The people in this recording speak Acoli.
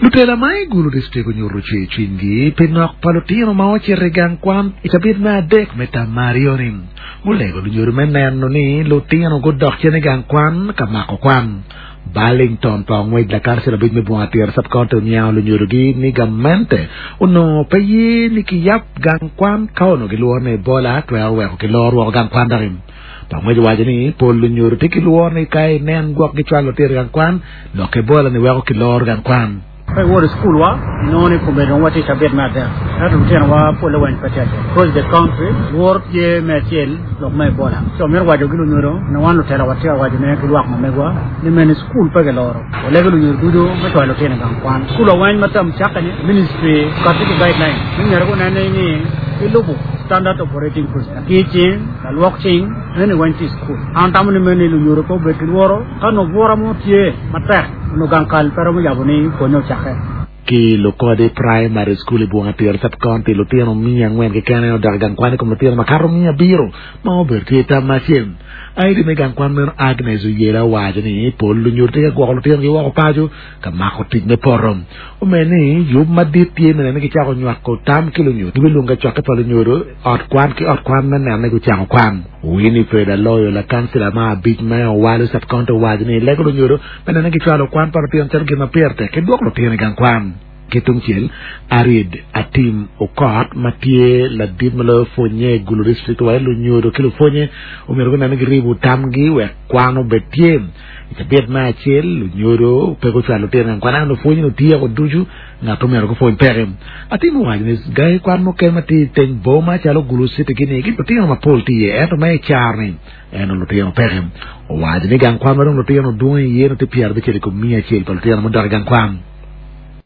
Lutela ma i Gulu District onyuto cwer cwinygi pi nok pa lutino ma ocito i gang kwan i cabit me adek me tam ma aryo-ni. Gulego lunyodo me neno ni lutino gudok cen i gang kwan ka mako kwan. Burlington pa ongwec lakancil abic me Bunga Tira Sub-County oniango lunyodogi ni gamente onongo pe ye ni kiyab gang kwan ka onongo gilworo ni Ebola twero weko kilor woko gang kwan doki. Pa ongwec owaco ni pol lunyodo tye ki lworo ni ka inen gwok gicwalo lutino i gang kwan, lok Ebola ni weko kiloro gang kwan. Ka iwoto i cukulwa, inongo ni kombeddi dong watye i cabit me adek, ento lutinowa polle weng pe tye acel. Across the country, lworo tye me acel lok me Ebola. Ci wamito waco ki lunyodo ni wan lutela watye ka wacone ki lwak ma megwa ni mene cukul pe kiloro. Walego lunyodo ducu me cwalo lutino i gang kwan. Cukulwa weng ma term cakke-ni, ministry okati ki guideline ni myero gunen ni gilubo standard operating procedure. Lakir cing, lalwok cing, eni weng tye i cukul. An atamo ni mene lunyodo pe obed ki lworo ka nongo bwura mo tye matek. Onongo gang kal pe romo yabo ni pwonye ocakke. Ki Lukodi Primary School i Bunga Tira Sub-County, lutino 400 keken aye odok i gang kwan i kom lutino makato 700 ma obedo tye i tam ma acel. ID me gang kwan meno Agnes Oyela owaco ni pol lunyodo tye ka gwoko lutinogi woko paco ka mako tic me poto. Omedo ni yub madit tye me neno ni gicako nywako tam ki lunyodo. Gibilwongo kacokke pa lunyodo ot kwan ki ot kwan me neno ni gucako kwan. Winifred Aloyo, lakancila ma abic me Owalo Sub-County owaco ni lego lunyodo me neno ni gicwalo kwan pa lutino calo gin ma pire tek ki dwoko lutino i gang kwan. Ki tungcel, Arid Atim Okot ma tye ladit ma loyo pwonye i Gulu District owaco ni lunyodo ki lupwonye omyero gunen ni giribo tamgi wek kwan obed tye. I cabit me acel, lunyodo pe gucwalo lutino i gang kwan ento lupwonye otyeko ducu Ngat omyero gupwony peke. Atim owaco ni gangi kwan mukene ma tye i teng boma calo Gulu City gini ki lutino mapol tye iye ento ma i caro-ni en lutino peke. Owaco ni gang kwan ma dong lutino dwong iye nongo tye 51 pa lutino mudok i gang kwan.